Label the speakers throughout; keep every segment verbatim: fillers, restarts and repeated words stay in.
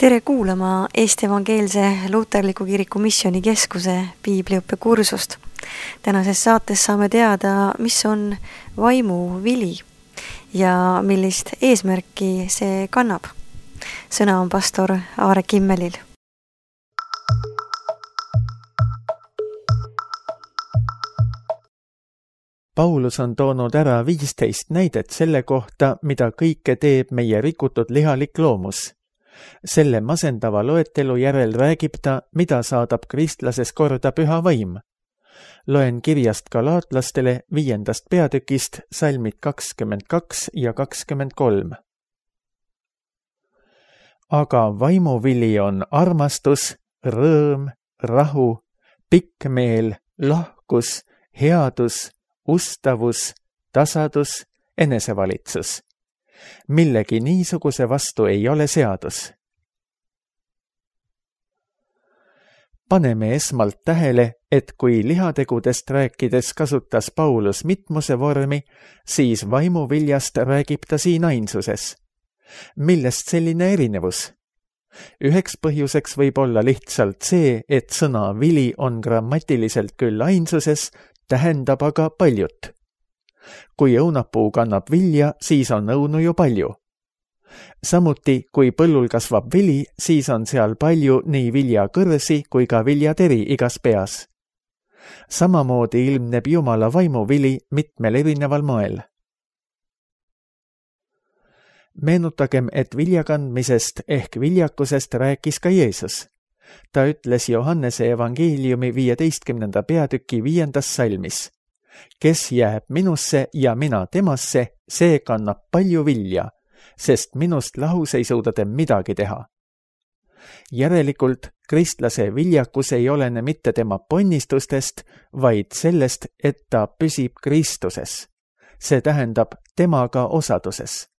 Speaker 1: Tere kuulama Eesti Evangeelse Luterliku Kiriku Missioonikeskuse piibliõppekursust. Tänases saates saame teada, mis on vaimuvili ja millist eesmärki see kannab. Sõna on pastor Aare Kimmelil.
Speaker 2: Paulus on toonud ära viisteist näidet selle kohta, mida kõike teeb meie rikutud lihalik loomus. Selle masendava loetelu järel räägib ta, mida saadab kristlases korda püha vaim. Loen kirjast galaatlastele viiendast peatükist salmid kakskümmend kaks ja kakskümmend kolm. Aga vaimuvili on armastus, rõõm, rahu, pikkmeel, lahkus, headus, ustavus, tasadus, enesevalitsus. Millegi niisuguse vastu ei ole seadus. Paneme esmalt tähele, et kui lihategudest rääkides kasutas Paulus mitmuse vormi, siis vaimuviljast räägib ta siin ainsuses. Millest selline erinevus? Üheks põhjuseks võib olla lihtsalt see, et sõna vili on grammatiliselt küll ainsuses, tähendab aga paljut. Kui õunapuu kannab vilja, siis on õunu ju palju. Samuti, kui põllul kasvab vili, siis on seal palju nii viljakõrsi kui ka viljateri igas peas. Samamoodi ilmneb Jumala vaimuvili mitmel erineval moel. Meenutagem, et viljakandmisest ehk viljakusest rääkis ka Jeesus. Ta ütles Johannese evangeeliumi viieteistkümnenda peatüki viiendas salmis. Kes jääb minusse ja mina temasse, see kannab palju vilja, sest minust lahus ei suuda te midagi teha. Järelikult kristlase viljakus ei olene mitte tema ponnistustest, vaid sellest, et ta püsib Kristuses. See tähendab temaga osaduses.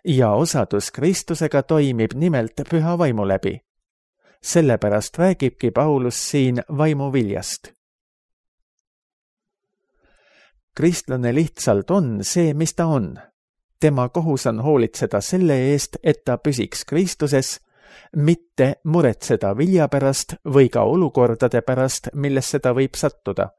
Speaker 2: Ja osadus Kristusega toimib nimelt püha vaimu läbi. Sellepärast räägibki Paulus siin vaimuviljast. Kristlane lihtsalt on see, mis ta on. Tema kohus on hoolitseda selle eest, et ta püsiks Kristuses, mitte muretseda vilja pärast või ka olukordade pärast, millesse ta võib sattuda.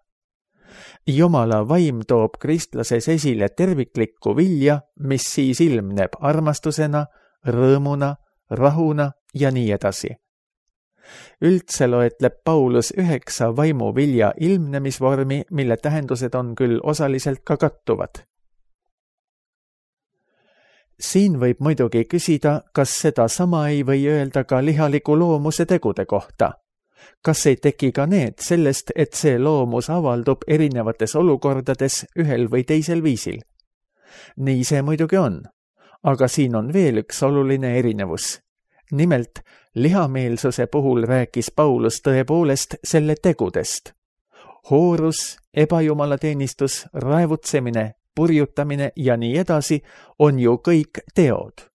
Speaker 2: Jumala vaim toob kristlases esile terviklikku vilja, mis siis ilmneb armastusena, rõõmuna, rahuna ja nii edasi. Üldse loetleb Paulus üheksa vaimuvilja ilmnemisvormi, mille tähendused on küll osaliselt ka kattuvad. Siin võib muidugi küsida, kas seda sama ei või öelda ka lihaliku loomuse tegude kohta. Kas ei teki ka need sellest, et see loomus avaldub erinevates olukordades ühel või teisel viisil? Nii see muidugi on, aga siin on veel üks oluline erinevus. Nimelt, lihameelsuse puhul rääkis Paulus tõepoolest selle tegudest. Hoorus, ebajumalateenistus, raevutsemine, purjutamine ja nii edasi on ju kõik teod.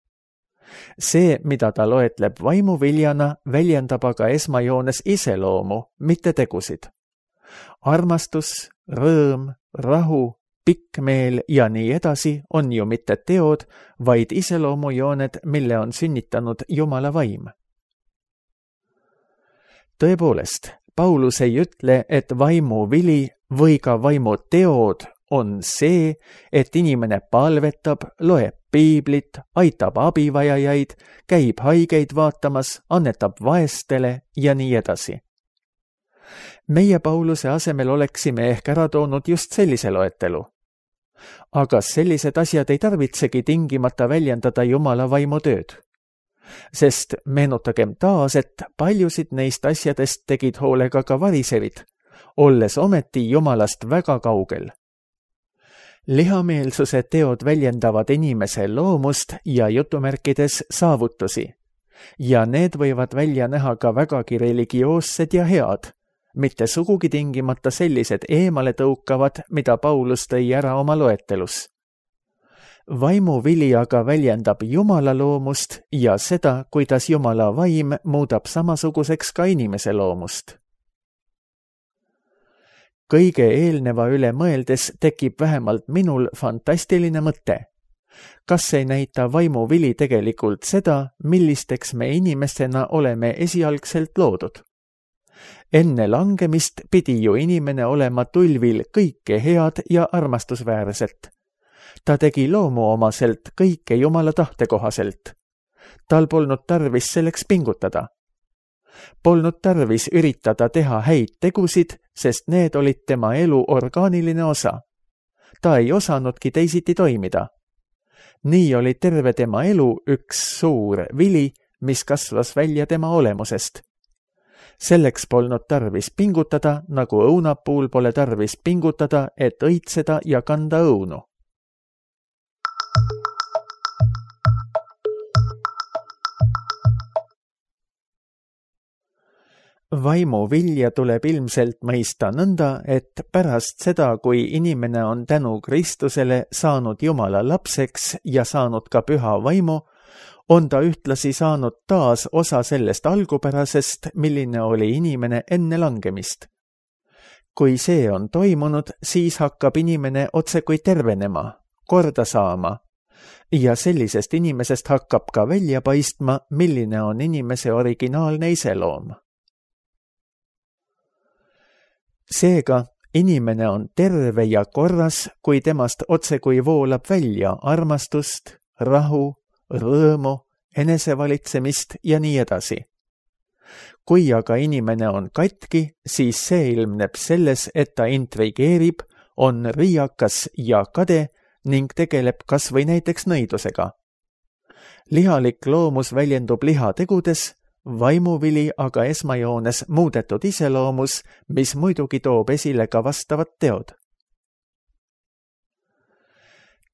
Speaker 2: See, mida ta loetleb vaimuviljana, väljendab aga esmajoones iseloomu, mitte tegusid. Armastus, rõõm, rahu, pikkmeel ja nii edasi on ju mitte teod, vaid iseloomujooned, mille on sünnitanud Jumala vaim. Tõepoolest, Paulus ei ütle, et vaimuvili või ka vaimuteod on see, et inimene palvetab, loeb piiblit, aitab abivajajaid, käib haigeid vaatamas, annetab vaestele ja nii edasi. Meie Pauluse asemel oleksime ehk ära toonud just sellise loetelu. Aga sellised asjad ei tarvitsegi tingimata väljendada Jumala vaimutööd. Sest meenutagem taas, et paljusid neist asjadest tegid hoolega ka variserid, olles ometi Jumalast väga kaugel. Lihameelsuse teod väljendavad inimese loomust ja jutumärkides saavutusi. Ja need võivad välja näha ka vägagi religioossed ja head, mitte sugugi tingimata sellised eemale tõukavad, mida Paulus tõi ära oma loetelus. Vaimuvili aga väljendab Jumala loomust ja seda, kuidas Jumala vaim muudab samasuguseks ka inimese loomust. Kõige eelneva üle mõeldes tekib vähemalt minul fantastiline mõte. kas ei näita vaimuvili tegelikult seda, millisteks me inimestena oleme esialgselt loodud? Enne langemist pidi ju inimene olema tulvil kõike head ja armastusväärset. Ta tegi loomuomaselt kõike Jumala tahte kohaselt. Tal polnud tarvis selleks pingutada. Polnud tarvis üritada teha häid tegusid, sest need olid tema elu orgaaniline osa. Ta ei osanudki teisiti toimida. Nii oli terve tema elu üks suur vili, mis kasvas välja tema olemusest. Selleks polnud tarvis pingutada, nagu õunapuul pole tarvis pingutada, et õitseda ja kanda õunu. Vaimuvilja tuleb ilmselt mõista nõnda, et pärast seda, kui inimene on tänu Kristusele saanud Jumala lapseks ja saanud ka püha vaimu, on ta ühtlasi saanud taas osa sellest algupärasest, milline oli inimene enne langemist. Kui see on toimunud, siis hakkab inimene otsekui tervenema, korda saama, ja sellisest inimesest hakkab ka välja paistma, milline on inimese originaalne iseloom. Seega, inimene on terve ja korras, kui temast otsekui voolab välja armastust, rahu, rõõmu, enesevalitsemist ja nii edasi. Kui aga inimene on katki, siis see ilmneb selles, et ta intrigeerib, on riiakas ja kade ning tegeleb kas või näiteks nõidusega. Lihalik loomus väljendub lihategudes, vaimuvili aga esmajoones muudetud iseloomus, mis muidugi toob esile ka vastavad teod.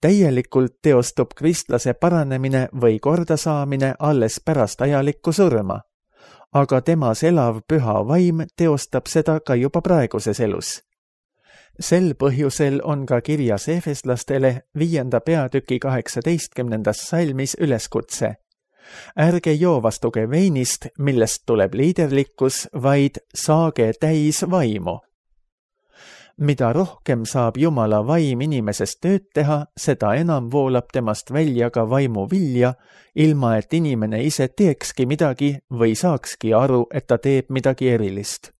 Speaker 2: Täielikult teostub kristlase paranemine või kordasaamine alles pärast ajalikku surma, aga temas elav püha vaim teostab seda ka juba praeguses elus. Sel põhjusel on ka kirjas Efeslastele viienda peatüki kaheksateistkümnendas salmis üleskutse. Ärge joovastuge veinist, millest tuleb liiderlikkus, vaid saage täis vaimu. Mida rohkem saab Jumala vaim inimesest tööd teha, seda enam voolab temast välja ka vaimu vilja, ilma et inimene ise teekski midagi või saakski aru, et ta teeb midagi erilist.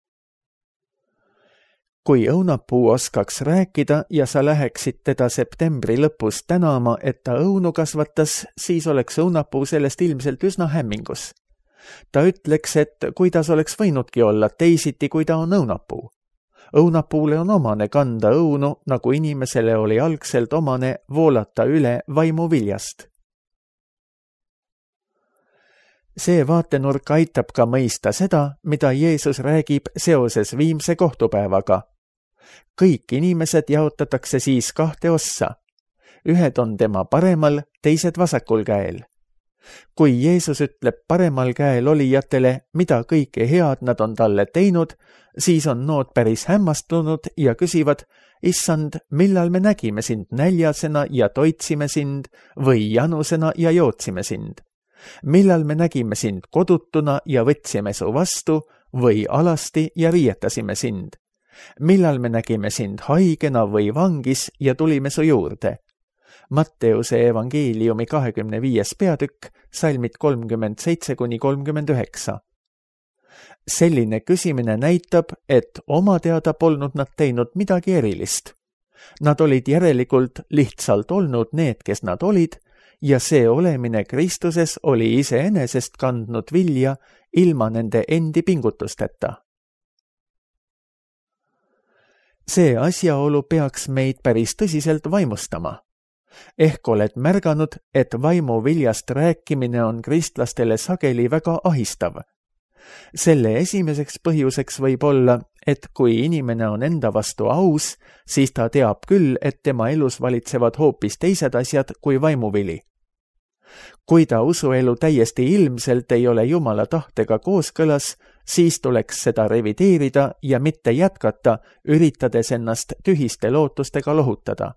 Speaker 2: Kui õunapuu oskaks rääkida ja sa läheksid teda septembri lõpus tänama, et ta õunu kasvatas, siis oleks õunapuu sellest ilmselt üsna hämmingus. Ta ütleks, et kuidas oleks võinudki olla teisiti, kui ta on õunapuu. Õunapuule on omane kanda õunu, nagu inimesele oli algselt omane voolata üle vaimuviljast. See vaatenurk aitab ka mõista seda, mida Jeesus räägib seoses viimse kohtupäevaga. Kõik inimesed jaotatakse siis kahte ossa. Ühed on tema paremal, teised vasakul käel. Kui Jeesus ütleb paremal käel olijatele, mida kõike head nad on talle teinud, siis on nood päris hämmastunud ja küsivad, issand, millal me nägime sind näljasena ja toitsime sind või janusena ja jootsime sind? Millal me nägime sind kodutuna ja võtsime su vastu või alasti ja riietasime sind? Millal me nägime sind haigena või vangis ja tulime su juurde? Matteuse evangeeliumi kahekümne viies peatükk, salmid kolmkümmend seitse kuni kolmkümmend üheksa. Selline küsimine näitab, et oma teada polnud nad teinud midagi erilist. Nad olid järelikult lihtsalt olnud need, kes nad olid, ja see olemine Kristuses oli iseenesest kandnud vilja ilma nende endi pingutusteta. See asjaolu peaks meid päris tõsiselt vaimustama. Ehk oled märganud, et vaimuviljast rääkimine on kristlastele sageli väga ahistav. Selle esimeseks põhjuseks võib olla, et kui inimene on enda vastu aus, siis ta teab küll, et tema elus valitsevad hoopis teised asjad kui vaimuvili. Kui ta usuelu täiesti ilmselt ei ole Jumala tahtega kooskõlas, siis tuleks seda revideerida ja mitte jätkata, üritades ennast tühiste lootustega lohutada.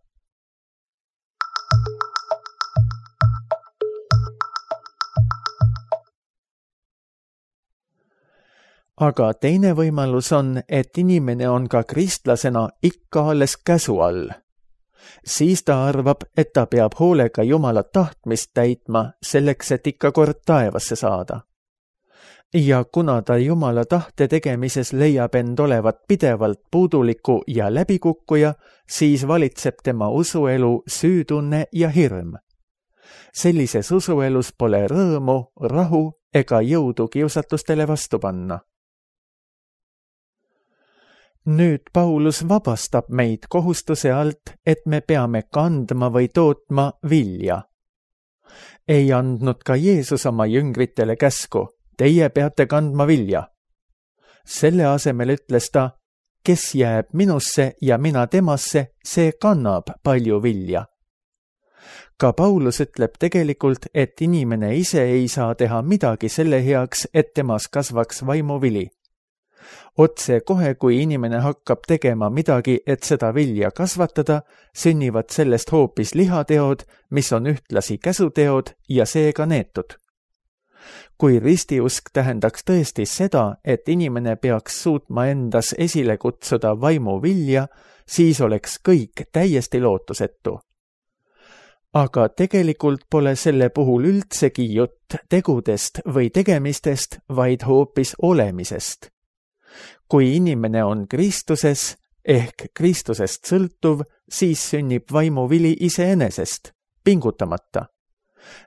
Speaker 2: Aga teine võimalus on, et inimene on ka kristlasena ikka alles käsu all. siis ta arvab, et ta peab hoolega Jumala tahtmist täitma selleks, et ikka kord taevasse saada. Ja kuna ta Jumala tahte tegemises leiab end olevat pidevalt puuduliku ja läbikukkuja, siis valitseb tema usuelu süütunne ja hirm. Sellises usuelus pole rõõmu, rahu ega jõudu kiusatustele vastu panna. Nüüd Paulus vabastab meid kohustuse alt, et me peame kandma või tootma vilja. Ei andnud ka Jeesus oma jüngritele käsku, teie peate kandma vilja. Selle asemel ütles ta, kes jääb minusse ja mina temasse, see kannab palju vilja. Ka Paulus ütleb tegelikult, et inimene ise ei saa teha midagi selle heaks, et temas kasvaks vaimuvili. Otse kohe, kui inimene hakkab tegema midagi, et seda vilja kasvatada, sünnivad sellest hoopis lihateod, mis on ühtlasi käsuteod ja seega neetud. Kui ristiusk tähendaks tõesti seda, et inimene peaks suutma endas esile kutsuda vaimu vilja, siis oleks kõik täiesti lootusetu. Aga tegelikult pole selle puhul üldsegi jutt tegudest või tegemistest, vaid hoopis olemisest. Kui inimene on Kristuses ehk Kristusest sõltuv, siis sünnib vaimuvili iseenesest, pingutamata.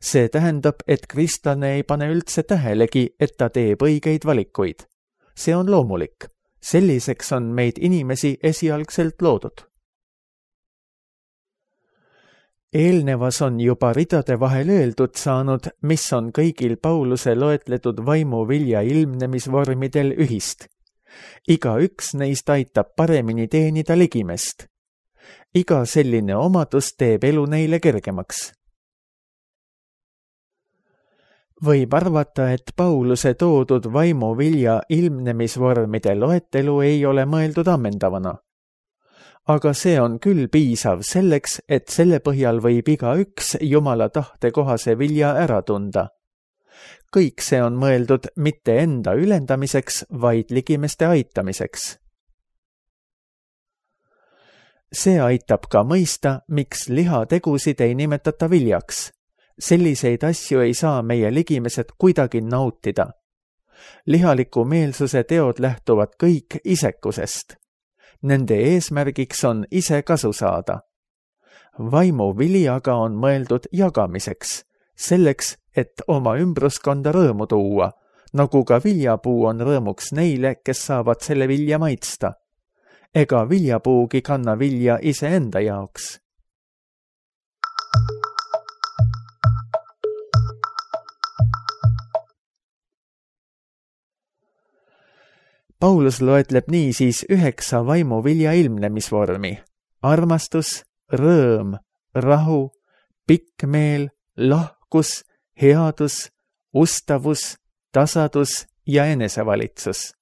Speaker 2: See tähendab, et kristlane ei pane üldse tähelegi, et ta teeb õigeid valikuid. See on loomulik. Selliseks on meid inimesi esialgselt loodud. Eelnevas on juba ridade vahel öeldud saanud, mis on kõigil Pauluse loetletud vaimuvilja ilmnemisvormidel ühist. Iga üks neist aitab paremini teenida ligimest. Iga selline omadus teeb elu neile kergemaks. Võib arvata, et Pauluse toodud vaimuvilja ilmnemisvormide loetelu ei ole mõeldud ammendavana. Aga see on küll piisav selleks, et selle põhjal võib iga üks Jumala tahte kohase vilja ära tunda. Kõik see on mõeldud mitte enda ülendamiseks, vaid ligimeste aitamiseks. See aitab ka mõista, miks lihategusid ei nimetata viljaks. Selliseid asju ei saa meie ligimesed kuidagi nautida. Lihaliku meelsuse teod lähtuvad kõik isekusest. Nende eesmärgiks on ise kasu saada. Vaimuvili aga on mõeldud jagamiseks, selleks, et oma ümbruskonda rõõmu tuua, nagu ka viljapuu on rõõmuks neile, kes saavad selle vilja maitsta. Ega viljapuugi kanna vilja iseenda jaoks. Paulus loetleb niisiis üheksa vaimuvilja ilmnemisvormi: armastus, rõõm, rahu, pikk meel, lahkus, headus, ustavus, tasadus ja enesevalitsus.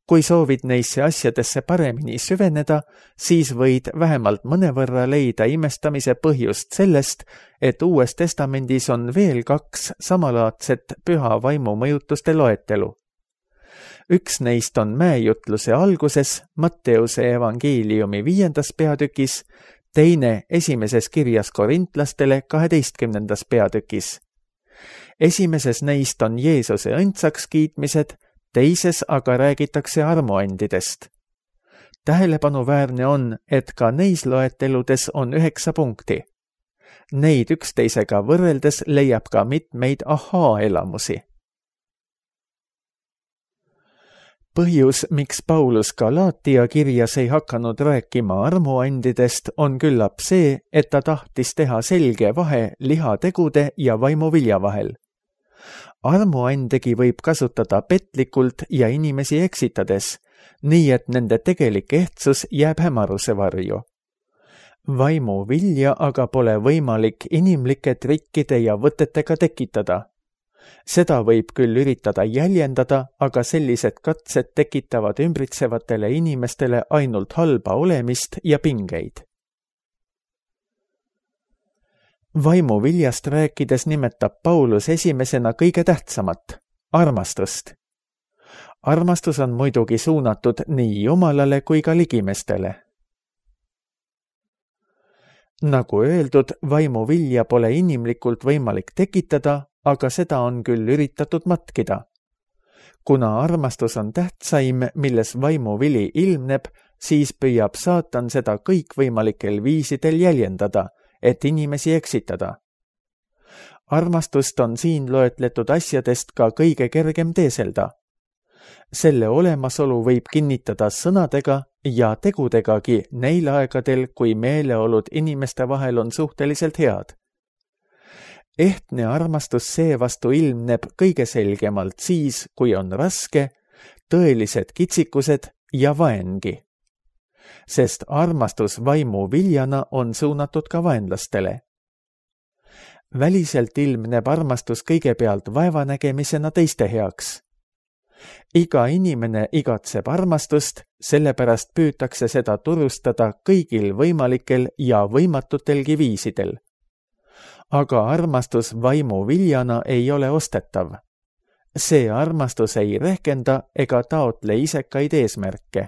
Speaker 2: Kui soovid neisse asjadesse paremini süveneda, siis võid vähemalt mõnevõrra leida imestamise põhjust sellest, et Uues Testamendis on veel kaks samalaadset püha vaimu mõjutuste loetelu. Üks neist on mäejutluse alguses Matteuse evangeeliumi viiendas peatükis, teine esimeses kirjas korintlastele kaheteistkümnendas peatükis. Esimeses neist on Jeesuse õndsaks kiitmised, teises aga räägitakse armuandidest. Tähelepanuväärne on, et ka neis loeteludes on üheksa punkti. Neid üksteisega võrreldes leiab ka mitmeid ahaa-elamusi. Põhjus, miks Paulus Galaatia kirjas ei hakanud rääkima armuandidest, on küllap see, et ta tahtis teha selge vahe lihategude ja vaimuvilja vahel. Armuandegi võib kasutada petlikult ja inimesi eksitades, nii et nende tegelik ehtsus jääb hämaruse varju. Vaimuvilja aga pole võimalik inimlike trikkide ja võtetega tekitada. Seda võib küll üritada jäljendada, aga sellised katsed tekitavad ümbritsevatele inimestele ainult halba olemist ja pingeid. Vaimuviljast rääkides nimetab Paulus esimesena kõige tähtsamat, armastust. Armastus on muidugi suunatud nii Jumalale kui ka ligimestele. Nagu öeldud, vaimuvilja pole inimlikult võimalik tekitada, aga seda on küll üritatud matkida. Kuna armastus on tähtsaim, milles vaimuvili ilmneb, siis püüab saatan seda kõikvõimalikel viisidel jäljendada, et inimesi eksitada. Armastust on siin loetletud asjadest ka kõige kergem teeselda. Selle olemasolu võib kinnitada sõnadega ja tegudegagi neil aegadel, kui meeleolud inimeste vahel on suhteliselt head. Ehtne armastus seevastu ilmneb kõige selgemalt siis, kui on raske, tõelised kitsikused ja vaengi. Sest armastus vaimu viljana on suunatud ka vaenlastele. Väliselt ilmneb armastus kõigepealt vaevanägemisena teiste heaks. Iga inimene igatseb armastust, sellepärast püütakse seda turustada kõigil võimalikel ja võimatutelgi viisidel. Aga armastus vaimu viljana ei ole ostetav. See armastus ei rehkenda ega taotle isekaid eesmärke.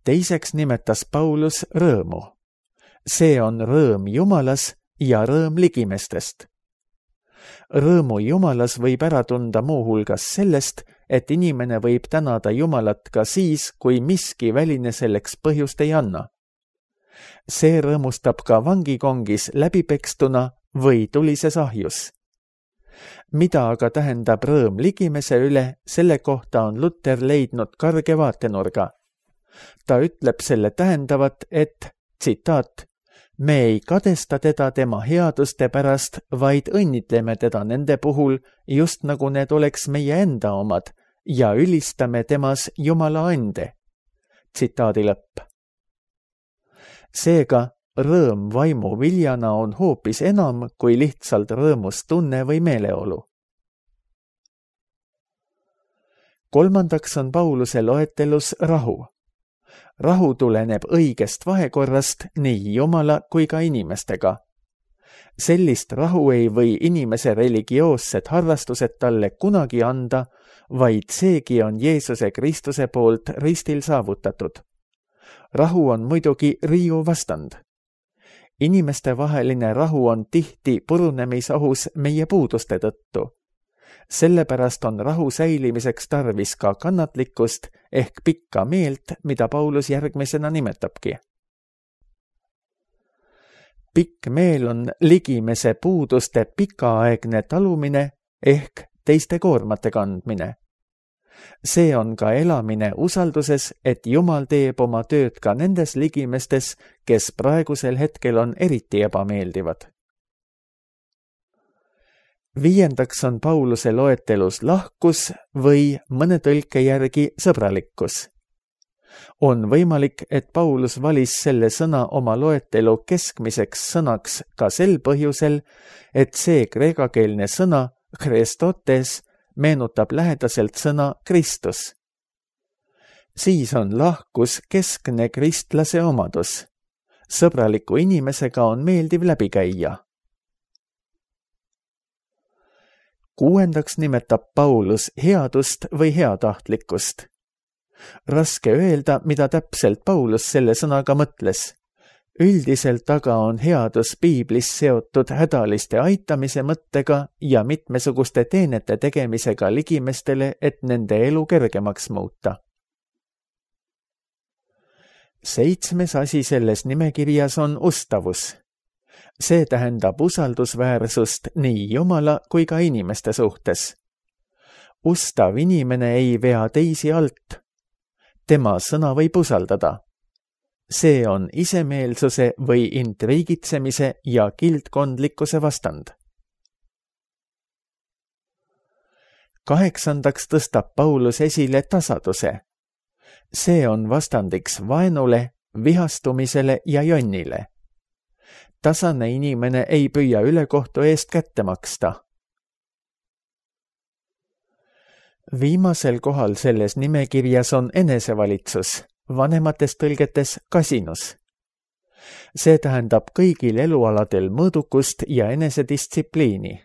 Speaker 2: Teiseks nimetas Paulus rõõmu. See on rõõm Jumalas ja rõõm ligimestest. Rõõmu Jumalas võib ära tunda muuhulgas sellest, et inimene võib tänada Jumalat ka siis, kui miski väline selleks põhjust ei anna. See rõõmustab ka vangikongis läbipekstuna või tulises ahjus. Mida aga tähendab rõõm ligimese üle, selle kohta on Luther leidnud karge vaatenurga. Ta ütleb selle tähendavat, et, tsitaat, me ei kadesta teda tema headuste pärast, vaid õnnitleme teda nende puhul, just nagu need oleks meie enda omad, ja ülistame temas Jumala ande. Tsitaadi lõpp. Seega, rõõm vaimu viljana on hoopis enam kui lihtsalt rõõmustunne või meeleolu. Kolmandaks on Pauluse loetelus rahu. Rahu tuleneb õigest vahekorrast nii Jumala kui ka inimestega. Sellist rahu ei või inimese religioossed harrastused talle kunagi anda, vaid seegi on Jeesuse Kristuse poolt ristil saavutatud. Rahu on muidugi riiu vastand. Inimeste vaheline rahu on tihti purunemisohus meie puuduste tõttu. Sellepärast on rahu säilimiseks tarvis ka kannatlikkust ehk pikka meelt, mida Paulus järgmisena nimetabki. Pikk meel on ligimese puuduste pikaaegne talumine ehk teiste koormate kandmine. See on ka elamine usalduses, et Jumal teeb oma tööd ka nendes ligimestes, kes praegusel hetkel on eriti ebameeldivad. Viiendaks on Pauluse loetelus lahkus või mõne tõlke järgi sõbralikkus. On võimalik, et Paulus valis selle sõna oma loetelu keskmiseks sõnaks ka sel põhjusel, et see kreekakeelne sõna Christotes meenutab lähedaselt sõna Kristus. Siis on lahkus keskne kristlase omadus. Sõbraliku inimesega on meeldiv läbi käia. Kuuendaks nimetab Paulus headust või heatahtlikkust. Raske öelda, mida täpselt Paulus selle sõnaga mõtles. Üldiselt aga on headus piiblis seotud hädaliste aitamise mõttega ja mitmesuguste teenete tegemisega ligimestele, et nende elu kergemaks muuta. Seitsmes asi selles nimekirjas on ustavus. See tähendab usaldusväärsust nii Jumala kui ka inimeste suhtes. Ustav inimene ei vea teisi alt. Tema sõna võib usaldada. See on isemeelsuse või intriigitsemise ja kildkondlikkuse vastand. Kaheksandaks tõstab Paulus esile tasaduse. See on vastandiks vaenule, vihastumisele ja jonnile. Tasane inimene ei püüa ülekohtu eest kätte maksta. Viimasel kohal selles nimekirjas on enesevalitsus, vanemates tõlgetes kasinus. See tähendab kõigil elualadel mõõdukust ja enesedistsipliini.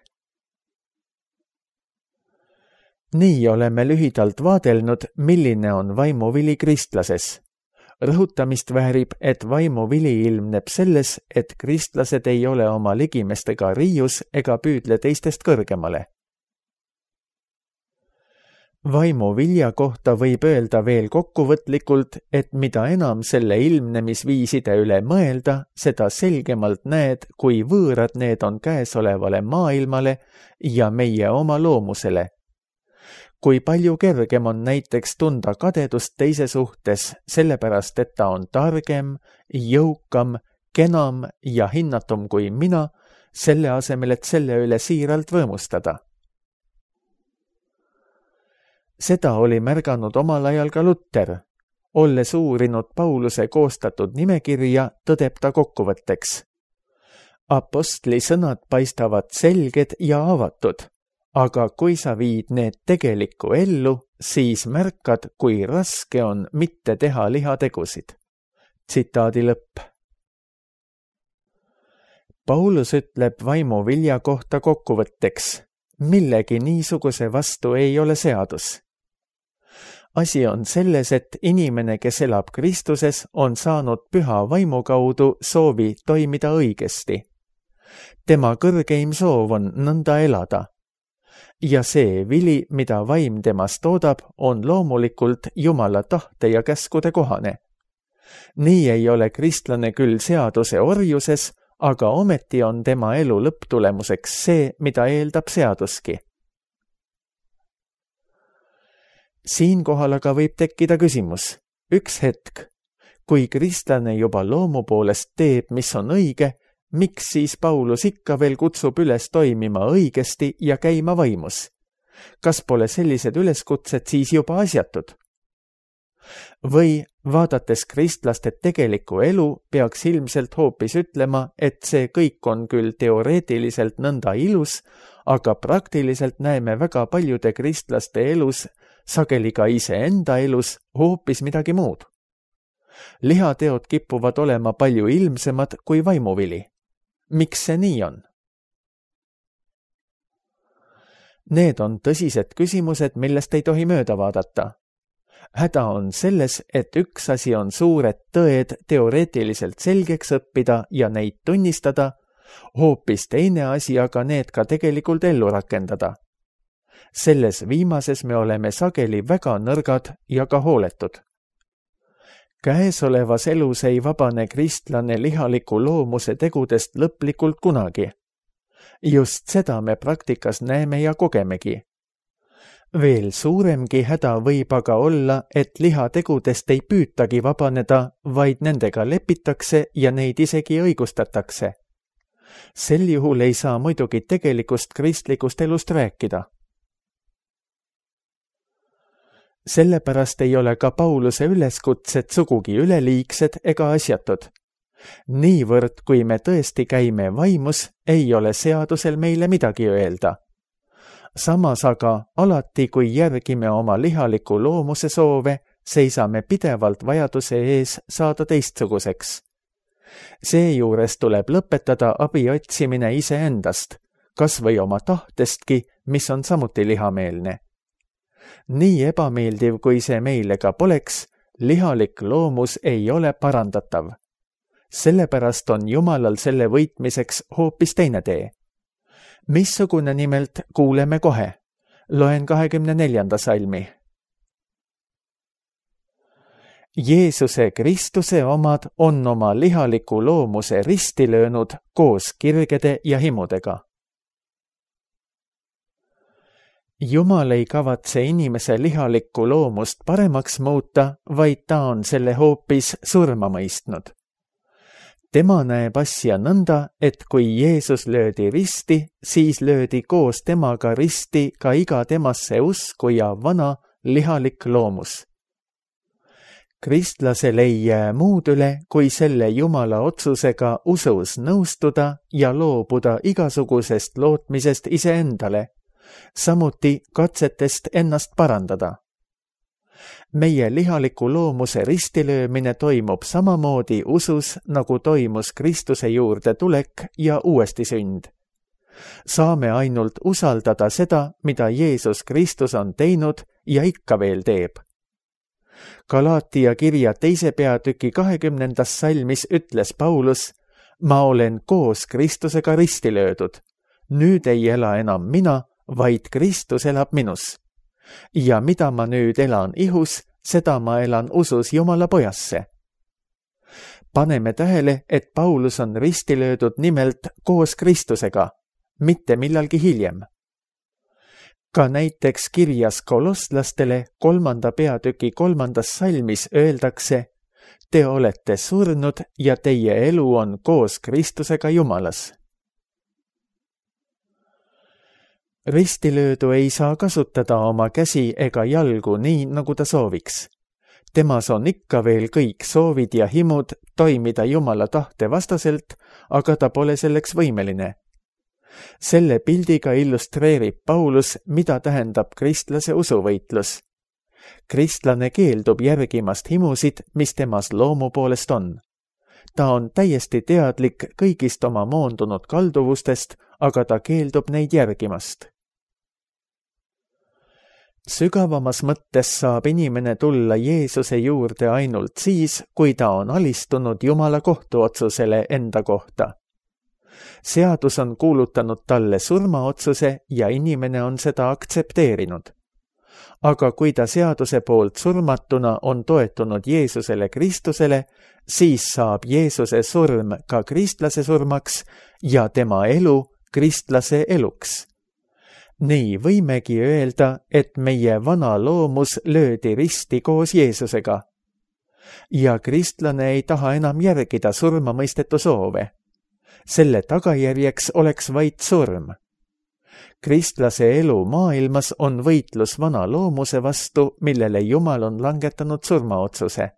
Speaker 2: Nii oleme lühidalt vaadelnud, milline on vaimuvili kristlases. Rõhutamist väärib, et vaimuvili ilmneb selles, et kristlased ei ole oma ligimestega riius ega püüdle teistest kõrgemale. Vaimuvilja kohta võib öelda veel kokkuvõtlikult, et mida enam selle ilmnemisviiside üle mõelda, seda selgemalt näed, kui võõrad need on käesolevale maailmale ja meie oma loomusele. Kui palju kergem on näiteks tunda kadedust teise suhtes, sellepärast et ta on targem, jõukam, kenam ja hinnatum kui mina, selle asemel, et selle üle siiralt võõmustada. Seda oli märganud omal ajal ka Luter. Olles uurinud Pauluse koostatud nimekirja, tõdeb ta kokkuvõtteks. Apostli sõnad paistavad selged ja avatud, aga kui sa viid need tegelikku ellu, siis märkad, kui raske on mitte teha lihategusid. Tsitaadi lõpp. Paulus ütleb vaimuvilja kohta kokkuvõtteks. Millegi niisuguse vastu ei ole seadus. Asi on selles, et inimene, kes elab Kristuses, on saanud püha vaimu kaudu soovi toimida õigesti. Tema kõrgeim soov on nõnda elada. Ja see vili, mida vaim temast toodab, on loomulikult Jumala tahte ja käskude kohane. Nii ei ole kristlane küll seaduse orjuses, aga ometi on tema elu lõpptulemuseks see, mida eeldab seaduski. Siinkohal aga võib tekkida küsimus. Üks hetk, kui kristlane juba loomu poolest teeb, mis on õige, miks siis Paulus ikka veel kutsub üles toimima õigesti ja käima vaimus? Kas pole sellised üleskutsed siis juba asjatud? Või vaadates kristlaste tegelikku elu, peaks ilmselt hoopis ütlema, et see kõik on küll teoreetiliselt nõnda ilus, aga praktiliselt näeme väga paljude kristlaste elus, sageli ka iseenda elus, hoopis midagi muud. Lihateod kippuvad olema palju ilmsemad kui vaimuvili. Miks see nii on? Need on tõsised küsimused, millest ei tohi mööda vaadata. Häda on selles, et üks asi on suured tõed teoreetiliselt selgeks õppida ja neid tunnistada, hoopis teine asi aga need ka tegelikult ellu rakendada. Selles viimases me oleme sageli väga nõrgad ja ka hooletud. Käesolevas elus ei vabane kristlane lihaliku loomuse tegudest lõplikult kunagi. Just seda me praktikas näeme ja kogemegi. Veel suuremgi häda võib aga olla, et lihategudest ei püütagi vabaneda, vaid nendega lepitakse ja neid isegi õigustatakse. Sel juhul ei saa muidugi tegelikust kristlikust elust rääkida. Sellepärast ei ole ka Pauluse üleskutsed sugugi üleliigsed ega asjatud. Niivõrd, kui me tõesti käime vaimus, ei ole seadusel meile midagi öelda. Samas aga alati, kui järgime oma lihaliku loomuse soove, seisame pidevalt vajaduse ees saada teistsuguseks. Seejuures tuleb lõpetada abi otsimine iseendast, kas või oma tahtestki, mis on samuti lihameelne. Nii ebameeldiv, kui see meile ka poleks, lihalik loomus ei ole parandatav. Sellepärast on Jumalal selle võitmiseks hoopis teine tee. Missugune nimelt kuuleme kohe. Loen kahekümne neljanda salmi. Jeesuse Kristuse omad on oma lihaliku loomuse risti löönud koos kirgede ja himudega. Jumal ei kavatse inimese lihalikku loomust paremaks muuta, vaid ta on selle hoopis surma mõistnud. Tema näeb asja nõnda, et kui Jeesus löödi risti, siis löödi koos temaga risti ka iga temasse uskuja vana lihalik loomus. Kristlasel ei jää muud üle, kui selle Jumala otsusega usus nõustuda ja loobuda igasugusest lootmisest iseendale, samuti katsetest ennast parandada. Meie lihaliku loomuse ristilöömine toimub samamoodi usus, nagu toimus Kristuse juurde tulek ja uuesti sünd. Saame ainult usaldada seda, mida Jeesus Kristus on teinud ja ikka veel teeb. Galaatia kirja teise peatüki kahekümnendas salmis ütles Paulus: ma olen koos Kristusega risti löödud. Nüüd ei ela enam mina, vaid Kristus elab minus. Ja mida ma nüüd elan ihus, seda ma elan usus Jumala pojasse. Paneme tähele, et Paulus on risti löödud nimelt koos Kristusega, mitte millalgi hiljem. Ka näiteks kirjas kolosslastele kolmanda peatüki kolmandas salmis öeldakse: te olete surnud ja teie elu on koos Kristusega Jumalas. Ristilöödu ei saa kasutada oma käsi ega jalgu nii, nagu ta sooviks. Temas on ikka veel kõik soovid ja himud toimida Jumala tahte vastaselt, aga ta pole selleks võimeline. Selle pildiga illustreerib Paulus, mida tähendab kristlase usuvõitlus. Kristlane keeldub järgimast himusid, mis temas loomu poolest on. Ta on täiesti teadlik kõigist oma moondunud kalduvustest, aga ta keeldub neid järgimast. Sügavamas mõttes saab inimene tulla Jeesuse juurde ainult siis, kui ta on alistunud Jumala kohtuotsusele enda kohta. Seadus on kuulutanud talle surmaotsuse ja inimene on seda aktsepteerinud. Aga kui ta seaduse poolt surmatuna on toetunud Jeesusele Kristusele, siis saab Jeesuse surm ka kristlase surmaks ja tema elu kristlase eluks. Nii võimegi öelda, et meie vana loomus löödi risti koos Jeesusega. Ja kristlane ei taha enam järgida surmamõistetu soove. Selle tagajärjeks oleks vaid surm. Kristlase elu maailmas on võitlus vana loomuse vastu, millele Jumal on langetanud surmaotsuse.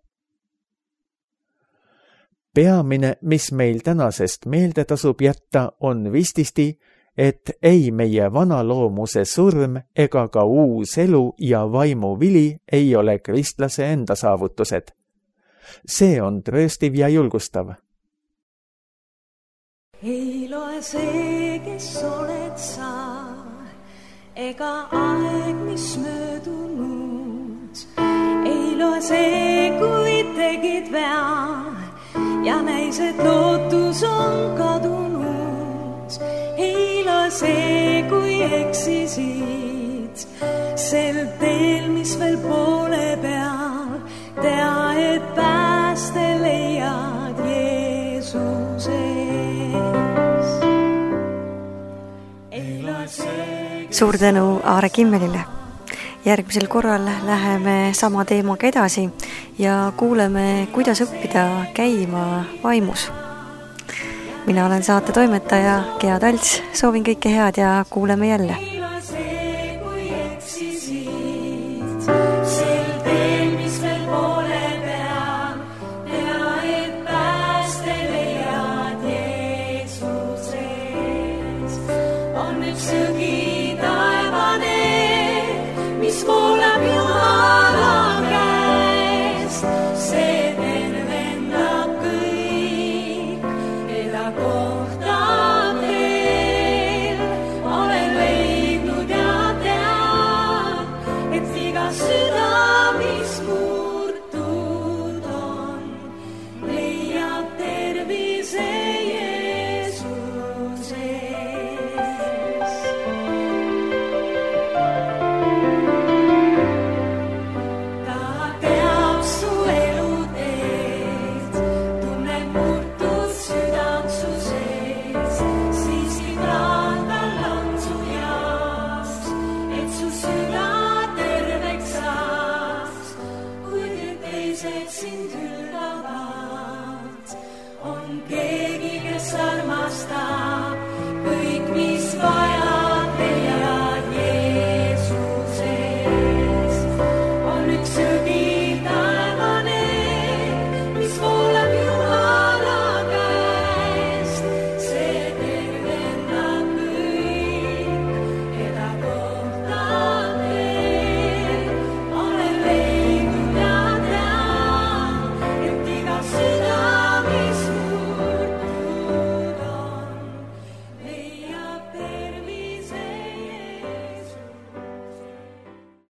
Speaker 2: Peamine, mis meil tänasest meelde tasub jätta, on vististi, et ei meie vana loomuse surm ega ka uus elu ja vaimu vili ei ole kristlase enda saavutused. See on trööstiv ja julgustav.
Speaker 3: Ei loe see, kes oled sa, ega aeg, mis möödunud. Ei loe see, kui tegid vea ja näis, et lootus on kadunud. Ei loe see, kui eksisid sel teel, mis veel poole peal. Tea, et pääste leiad Jeesuse.
Speaker 1: Suur tänu Aare Kimmelile. Järgmisel korral läheme sama teemaga edasi ja kuuleme, kuidas õppida käima vaimus. Mina olen saate toimetaja Gea Talts, soovin kõike head ja kuuleme jälle.
Speaker 3: Süda